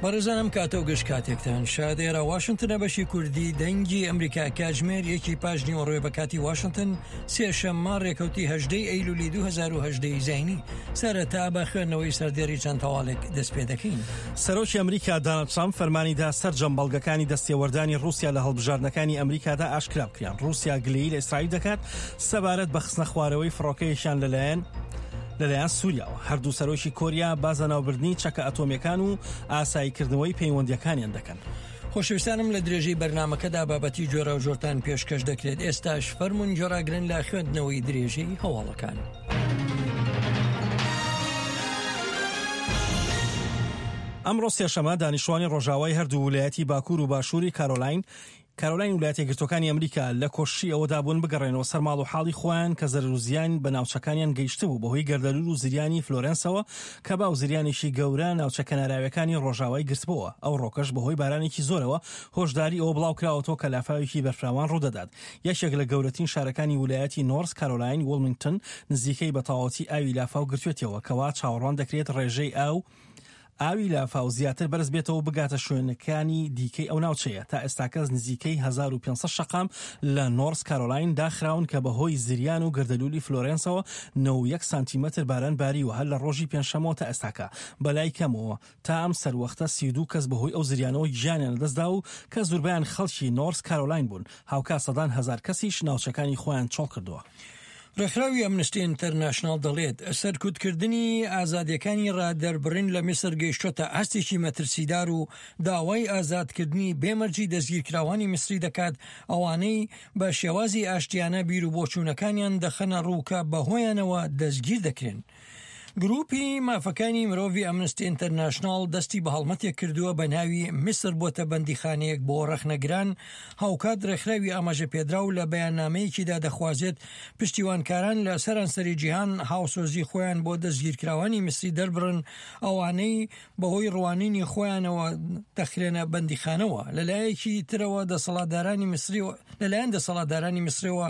بەڕێزان ئەم کاتە و گشت کاتێکتان شاد ئێرە واشنتنە بەشی کوردی دەنگی ئەمریکا کاتژمێر یەکی پاش نیوەڕۆێ بە کاتی واشنتن سێشەممە ڕێکەوتی هەژدەی ئەیلولی 2010 زینی سەرەتا بە خوێندنەوەی سەردێری چەند هەواڵێک دەست پێ دەکەین. سەرۆکی ئەمریکا داناڵد ترامپ فەرمانی دا سەرجەم بەڵگەکانی دەستێوەردانی ڕووسیا لە هەڵبژاردنەکانی ئەمریکادا ئاشکرا بکرێن. ڕووسیا گلەیی لە ئیسرائیل دەکات سەبارەت بە خستنەخوارەوەی فڕۆکەیەکیان لەلایەن لەلایەن سووریاوە. هەردوو سەرۆکی کۆریا باس لە ناوبردنی چەکە ئەتۆمییەکان و ئاساییکردنەوەی پەیوەندییەکانیان دەکەن. خۆشەویستانم لە درێژەی بەرنامەکەدا بابەتی جۆراوجۆرتان پێشکەش دەکرێت ئێستاش فەرموون گوێڕاگرن لە خوێندنەوەی درێژەی هەواڵەکان. ئەمڕۆ سێشەمە دانیشتوانی ڕۆژاوای هەردوو ولایەتی باکوور و باشووری کارۆلاین کارۆلاین ولایەتە یەکگرتووەکانی ئەمریکا لە کۆششی ئەوەدا بوون بگەڕێنەوە سەر ماڵ و حاڵی خۆیان کە زەرەر و زیان بە ناوچەکانیان گەیشتبوو بەهۆی گەردەلوول و زریانی فلۆرێنسەوە کە باو زریانێکی گەورە ناوچە کەناراویەکانی ڕۆژاوای گرتبۆوە ئەوڕۆکەش بەهۆی بارانێکی زۆرەوە هۆشداری ئەوە بڵاوکراوەتەوە کە لافاوێکی بەرفراوان ڕوودەدات یەکێک لە گەورەترین شارەکانی ولایەتی نۆرس کارۆلاین وڵمینگتن نزیکەی بە تەواوەتی ئاوی لافاو گرتوێتەوە کەوا چاوەڕوان دەکرێت ڕێژەی ئاو ئاوی لافاو زیاتر بەرز بێتەوە و بگاتە شوێنەکانی دیکەی ئەو ناوچەیە. تا ئێستاکەس نزیکەی 1500 شەقام لە نۆرس کارۆلاین داخراون کە بەهۆی زریان و گەردەلوولی فلۆرێنسەوە 91 سانتیمەتر باران باریوە هەر لە ڕۆژی پێنجشەممەوە تا ئێستاکە. بەلای کەمەوە تا ئەم سەروەختە 32 کەس بەهۆی ئەو زریانەوە گیانیان لەدەستدا و کە زوربەیان خەڵکی نۆرس کارۆلاین بوون. هاوکات سەدان هەزار کەسیش ناوچەکانی خۆیان چۆڵکردووە. ڕێکخراوی ئەمنستی ئینتەرناشناڵ دەڵێت، سەرکوتکردنی ئازادییەکانی ڕادەربڕین لە میسر گەیشتۆتە ئاستێکی مەترسیدار و داوای ئازادکردنی بێ مەرجی دەستگیرکراوانی میسری دەکات، ئەوانەی بە شێوازی ئاشتیانە بیروبۆچوونەکانیان دەخەنە ڕوو کە بەهۆیانەوە دەستگیر دەکرێن. گروپی مافەکانی مرۆڤی ئەمنستی ئینتەرناشناڵ دەستی بە هەڵمەتێک کردووە بە ناوی میسر بۆتە بەندیخانەیەک بۆ ڕەخنەگران، هاوکات ڕێکخراوی ئاماژە پێدراو لە بەیاننامەیەکیدا دەخوازێت پشتیوانکاران لە سەرانسەری جیهان هاوسۆزی خۆیان بۆ دەستگیرکراوانی میسری دەربڕن ئەوانەی بەهۆی ڕوانینی خۆیانەوە دەخرێنە بەندیخانەوە لەلایەکی ترەوە دەسەڵاتدارانی میسری لەلایەن دەسەڵاتدارانی میسرەوە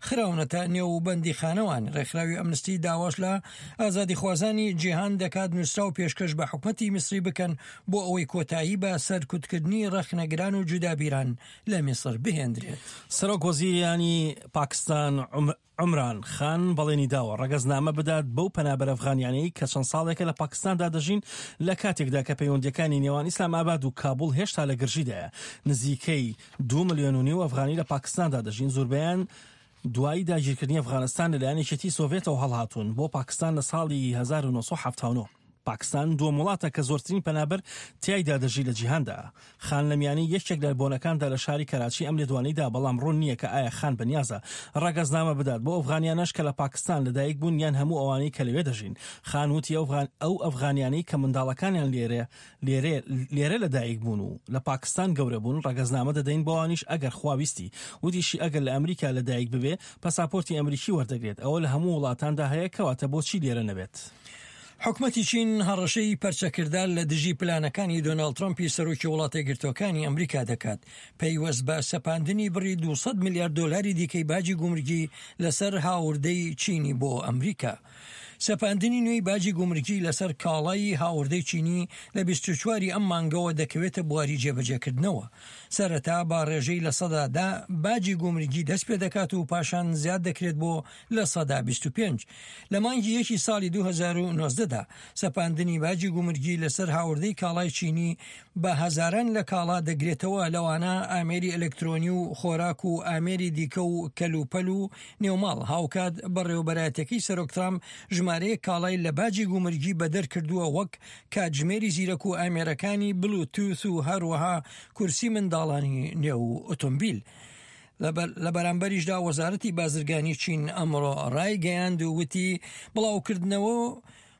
خراونەتە نێو بەندیخانەوان. ڕێکخراوی ئەمنستی داواش لە ئازادیخوازانی جیهان دەکات نووسراو پێشکەش بە حکومەتی میسری بکەن بۆ ئەوەی کۆتایی بە سەرکوتکردنی ڕەخنەگران و جودابیران لە میسر بهێندرێت. سەرۆک وەزیرانی پاکستان عومران خان بەڵێنی داوە ڕەگەزنامە بدات بەو پەنابەرە ئەفغانیانەی کە چەند ساڵێکە لە پاکستاندا دەژین لە کاتێکدا کە پەیوەندییەکانی نێوان ئیسلامئاباد و کابوڵ هێشتا لە گرژیدایە. نزیکەی دوو ملیۆن و نیو ئەفغانی لە پاکستاندا دەژین، زۆربەیان دوای داگیرکردنی ئەفغانستان لەلایەن یەکێتی سۆڤێتەوە هەڵهاتوون بۆ پاکستان لە ساڵی 1979. پاکستان دووەم وڵاتە کە زۆرترین پەنابەر تیایدا دەژی لە جیهاندا. خان لە میانەی یەکێک لە بۆنەکاندا لە شاری کەراچی ئەم لێدوانەی دا، بەڵام ڕوون نییە کە ئایا خان بەنیازە ڕەگەزنامە بدات بۆ ئەفغانیانەش کە لە پاکستان لەدایک بوون یان هەموو ئەوانەی کە لەوێ دەژین. خان وتی ئەو ئەفغانیانەی کە منداڵەکانیان لێرە لێرە لێرە لە دایک بوون و لە پاکستان گەورە بوون ڕەگەزنامە دەدەین بەوانیش ئەگەر خوا ویستی. وتیشی ئەگەر لە ئەمریکا لە دایک ببێ پەساپۆرتی ئەمریکی وەردەگرێت ئەوە لە هەموو وڵاتاندا هەیە کەواتە بۆچی لێرە نەبێت؟ حکومەتی چین هەڕەشەی پەرچەکردار لە دژی پلانەکانی دۆناڵد ترەمپی سەرۆکی وڵاتەیەکگرتووەکانی ئەمریکا دەکات پەیوەست بە سەپاندنی بڕی 200 ملیار دۆلاری دیکەی باجی گومرگی لەسەر هاوردەی چینی بۆ ئەمریکا. سەپاندنی نوێی باجی گومرگی لەسەر کاڵای هاوردەی چینی لە 24 ی ئەم مانگەوە دەکەوێتە بواری جێبەجێکردنەوە. سەرەتا بە ڕێژەی 10% باجی گومرگی دەست پێدەکات و پاشان زیاد دەکرێت بۆ 25%. لە مانگی یەکی ساڵی 2019 دا سەپاندنی باجی گومرگی لەسەر هاوردەی کاڵای چینی بە هەزاران لە کاڵا دەگرێتەوە لەوانە ئامێری ئەلکترۆنی و خۆراک و ئامێری دیکە و کەلوپەل و نێوماڵ، هاوکات بەڕێوەبەرایەتیەکەی سەرۆک ترامپ ژمارەیەک کاڵای لە باجی گومرگی بەدەر کردووە وەک کاتژمێری زیرەک و ئامێرەکانی بلوتوس و هەروەها کورسی منداڵانی نێو ئۆتۆمبیل. لە بەرامبەریشدا وەزارەتی بازرگانی چین ئەمڕۆ ڕایگەیاند و وتی بڵاوکردنەوە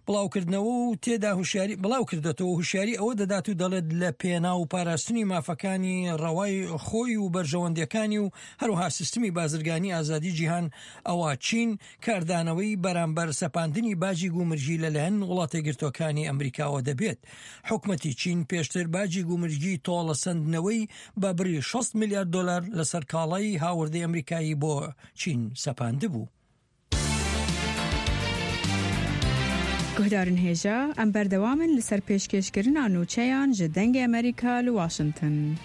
بڵاوکردنەوە و تێدا هوشیاری بڵاوکردۆتەوە و هوشیاری ئەوە دەدات و دەڵێت لە پێناو پاراستنی مافەکانی ڕەوای خۆی و بەرژەوەندیەکانی و هەروەها سیستمی بازرگانی ئازادی جیهان ئەوا چین کاردانەوەی بەرامبەر سەپاندنی باجی گومرگی لەلایەن وڵاتەیەکگرتووەکانی ئەمریکاوە دەبێت. حکومەتی چین پێشتر باجی گومرگی تۆڵەسەندنەوەی بە بڕی 60 ملیار دۆلار لەسەر کاڵای هاوردەی ئەمریکایی بۆ چین سەپاندبوو. Guhdarên hêja, em berdewam in li ser pêşkêşkirina nûçeyan ji Dengê Amerîka li Washington.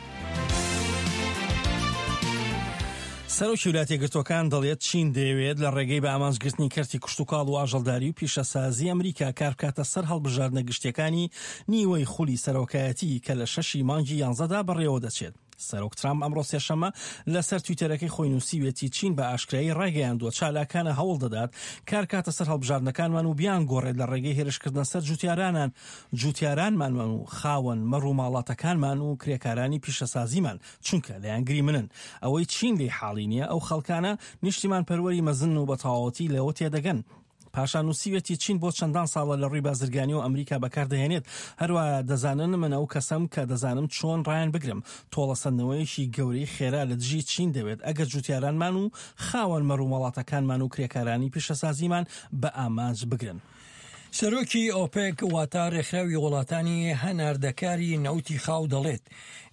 سەرۆکی ویلایەتە یەکگرتووەکان دەڵێت چین دەیەوێت لە ڕێگەی بە ئامانجگرتنی کەرتی کشتوکاڵ و ئاژەڵداری و پیشەسازی ئەمریکا کار بکاتە سەر هەڵبژاردنە گشتیەکانی نیوەی خولی سەرۆکایەتی کە لە شەشی مانگی یانزەدا بەڕێوە دەچێت. سەرۆک ترامپ ئەمڕۆ سێشەممە لەسەر تویتەرەکەی خۆی نووسیوێتی چین بە ئاشکرایی ڕایگەیاندووە چالاکانە هەوڵ دەدات کار کاتە سەر هەڵبژاردنەکانمان و بیانگۆڕێت لە ڕێگەی هێرشکردنە سەر جوتیارانان جوتیارانمان و خاوەن مەڕ و ماڵاتەکانمان و کرێکارانی پیشەسازیمان چونکە لایەنگری منن ئەوەی چین لێی حاڵی نییە ئەو خەڵکانە نیشتیمان پەروەری مەزنن و بە تەواوەتی لەوە تێدەگەن. پاشان نووسیویەتی چین بۆ چەندان ساڵە لە ڕووی بازرگانیەوە ئەمریکا بەکاردەهێنێت، هەروە دەزانن من ئەو کەسەم کە دەزانم چۆن ڕایان بگرم، تۆڵەسەندنەوەیەکی گەورەی خێرا لە دژی چین دەوێت ئەگەر جوتیارانمان و خاوەن مەڕوماڵاتەکانمان و کرێکارانی پیشەسازیمان بە ئامانج بگرن. سەرۆکی ئۆپێک واتە رێکخراوی وڵاتانی هەناردەکاری نەوتی خاو دەڵێت،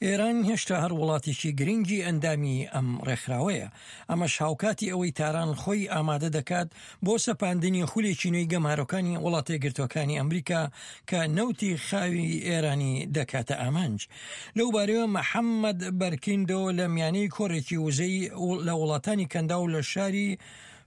ئێران هێشتا هەر وڵاتێکی گرنگی ئەندامی ئەم رێکخراوەیە، ئەمەش هاوکاتی ئەوەی تاران خۆی ئامادە دەکات بۆ سەپاندنی خولێکی نوێی گەمارۆکانی وڵاتەیەکگرتووەکانی ئەمریکا کە نەوتی خاوی ئێرانی دەکاتە ئامانج. لەوبارەیەوە محەممەد بەرکیندۆ لە میانەی کۆڕێکی وزەی لە وڵاتانی کەنداو لە شاری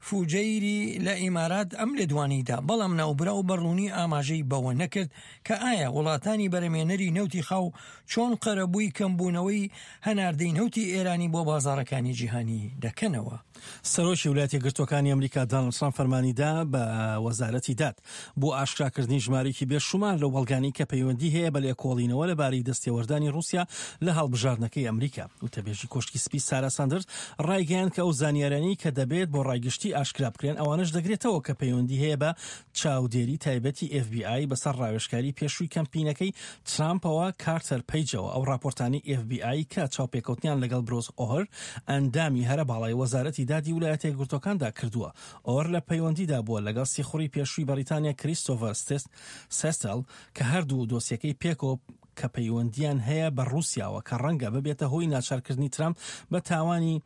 فوجەیری لە ئیمارات ئەم لێدوانەی دا، بەڵام ناوبراو بە ڕوونی ئاماژەی بەوە نەکرد کە ئایا وڵاتانی بەرهەمهێنەری نەوتی خاو چۆن قەرەبووی کەمبوونەوەی هەناردەی نەوتی ئێرانی بۆ بازاڕەکانی جیهانی دەکەنەوە. سەرۆکی ویلایەتە یەکگرتووەکانی ئەمریکا دانڵد ترامپ فەرمانی دا بە وەزارەتی داد بۆ ئاشکراکردنی ژمارەیەکی بێشومار لەو بەڵگانەی کە پەیوەندی هەیە بە لێکۆڵینەوە لەبارەی دەستێوەردانی ڕووسیا لە هەڵبژاردنەکەی ئەمریکا. وتەبێژی کۆشکی سپی سارا ساندرز ڕایگەیاند کە ئەو زانیاریانەی کە دەبێت بۆ ڕای گشتی ئاشکرا بکرێن ئەوانەش دەگرێتەوە کە پەیوەندی هەیە بە چاودێری تایبەتی ئێف بی ئای بەسەر ڕاوێژکاری پێشووی کەمپینەکەی ترامپەوە کارتەر پەیجەوە، ئەو ڕاپۆرتانەی ئێف بی ئای کە چاوپێکەوتنیان لەگەڵ برۆس ئۆهر ئەندامی هەرە باڵای وەزارەتی دادی ولایەتە یەکگرتووەکاندا کردووە. ئۆهر لە پەیوەندیدا بووە لەگەڵ سیخوڕی پێشووی بەڕیتانیا کریستۆڤەر سێستێل کە هەردوو دۆسیەکەی پێکەوە کە پەیوەندییان هەیە بە ڕووسیاوە کە ڕەنگە ببێتە هۆی ناچارکردنی ترامپ بە تاوانی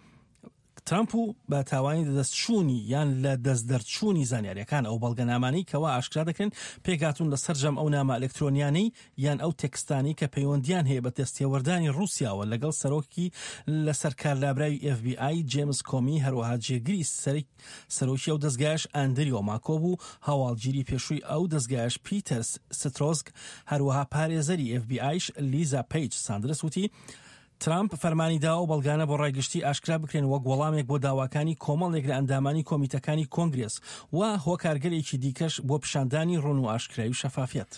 ترامپ و بە تاوانی لەدەستچوونی یان لە دەست دەرچوونی زانیاریەکان ئەو بەڵگەنامانەی کەوا ئاشکرا دەکرێن پێکهاتوون لە سەرجەم ئەو نامە ئەلکترۆنیانەی یان ئەو تێکستانەی کە پەیوەندیان هەیە بە دەستێوەردانی ڕووسیاوە لەگەڵ سەرۆکی لەسەرکارلابراوی ئێف بی ئای جێمس کۆمی هەروەها جێگری سەرۆکی ئەو دەزگایەش ئەندریۆ ماکۆڤ و هەواڵگیری پێشووی ئەو دەزگایەش پیتەر سترۆزگ هەروەها پارێزەری ئێف بی ئایش لیزا پەیج ساندرس وتی ترامپ فەرمانی دا ئەو بەڵگانە بۆ ڕای گشتی ئاشکرا بکرێن وەک وەڵامێک بۆ داواکانی کۆمەڵێک لە ئەندامانی کۆمیتەکانی کۆنگرێس و هۆکارگەلێکی دیکەش بۆ پیشاندانی ڕوون و ئاشکرایی و شەفافیەت.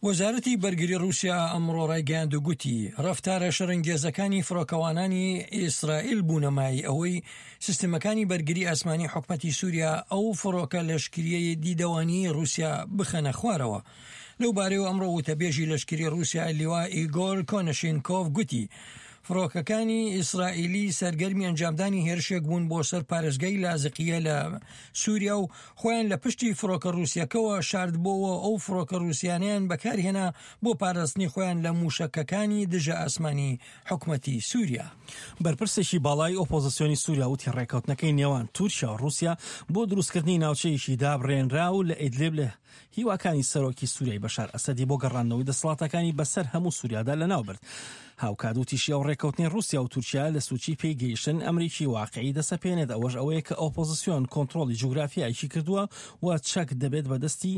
وەزارەتی بەرگری ڕووسیا ئەمڕۆ ڕایگەیاند و گوتی، ڕەفتارە شەڕەنگێزەکانی فڕۆکەوانانی ئیسرائیل بوونە مایەی ئەوەی سیستمەکانی بەرگری ئاسمانی حکومەتی سووریا ئەو فڕۆکە لەشکرییەی دیدەوانییەی ڕووسیا بخەنە خوارەوە. لەو بارەیەوە ئەمڕۆ وتەبێژی لەشکری ڕووسیا لیوا ئیگۆر کۆنەشینکۆڤ گوتی، فڕۆکەکانی ئیسرائیلی سەرگەرمی ئەنجامدانی هێرشێک بوون بۆ سەر پارێزگای لازقیە لە سووریا و خۆیان لە پشتی فڕۆکە ڕووسیەکەوە شاردبۆوە ئەو فڕۆکە ڕووسیانەیان بەکارهێنا بۆ پاراستنی خۆیان لە مووشەکەکانی دژە ئاسمانی حکومەتی سووریا. بەرپرسێکی باڵای ئۆپۆزسیۆنی سووریا وتی ڕێککەوتنەکەی نێوان تورکیا و ڕووسیا بۆ دروستکردنی ناوچەیەکی دابڕێنراو لە ئیدلیب لە هیواکانی سەرۆکی سوریای بەشار ئەسەدی بۆ گەڕاندنەوەی دەسەڵاتەکانی بەسەر هەموو سوریادا لەناوبرد. هاوکات وتیشی ئەو ڕێککەوتنەی ڕوسیا و تورکیا لە سوچی پێی گەیشتن ئەمرێکی واقعی دەسەپێنێت ئەوەش ئەوەیە کە ئۆپۆزسیۆن کۆنترۆڵی جوگرافیایەکی کردووە و چەک دەبێت بەدەستی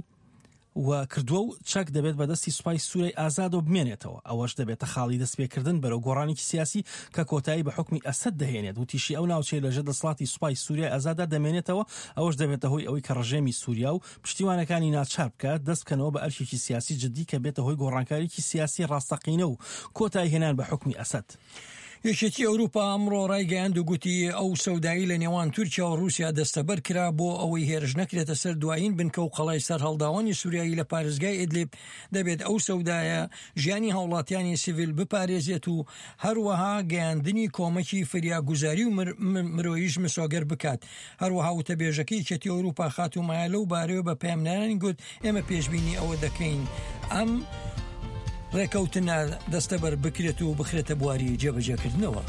و کردووە و چەک دەبێت بەدەستی سوپای سوریای ئازادەوە بمێنێتەوە ئەوەش دەبێتە خاڵی دەستپێکردن بەرەو گۆڕانێکی سیاسی کە کۆتایی بە حوکمی ئەسەد دەهێنێت وتیشی ئەو ناوچەیە لەژێر دەسەڵاتی سوپای سوریای ئازاددا دەمێنێتەوە ئەوەش دەبێتە هۆی ئەوەی کە ڕژێمی سوریا و پشتیوانەکانی ناچار بکات دەست بکەنەوە بە ئەرکێکی سیاسی جدی کە بێتە هۆی گۆڕانکاریی سیاسی ڕاستەقینە و کۆتایی هێنان بە حوکمی ئەسەد. یەکێتی ئەوروپا ئەمڕۆ ڕایگەیاند و گوتی ئەو سەودایی لە نێوان تورکیا و ڕووسیا دەستەبەر کرا بۆ ئەوەی هێرش نەکرێتە سەر دوایین بنکە و قەڵای سەرهەڵداوانی سوریایی لە پارێزگای ئیدلیب دەبێت ئەو سەودایە ژیانی هاوڵاتیانی سیڤیل بپارێزێت و هەروەها گەیاندنی کۆمەکی فریاگوزاری و مرۆییش مسۆگەر بکات هەروەها وتەبێژەکەی یەکێتی ئەوروپا خاتوو مایا لەو بارەیەوە بە پەیامنێرانی گوت، ئێمە پێشبینی ئەوە دەکەین ئەم ڕێکەوتنە دەستەبەر بکرێت و بخرێتە بواری جێبەجێکردنەوە.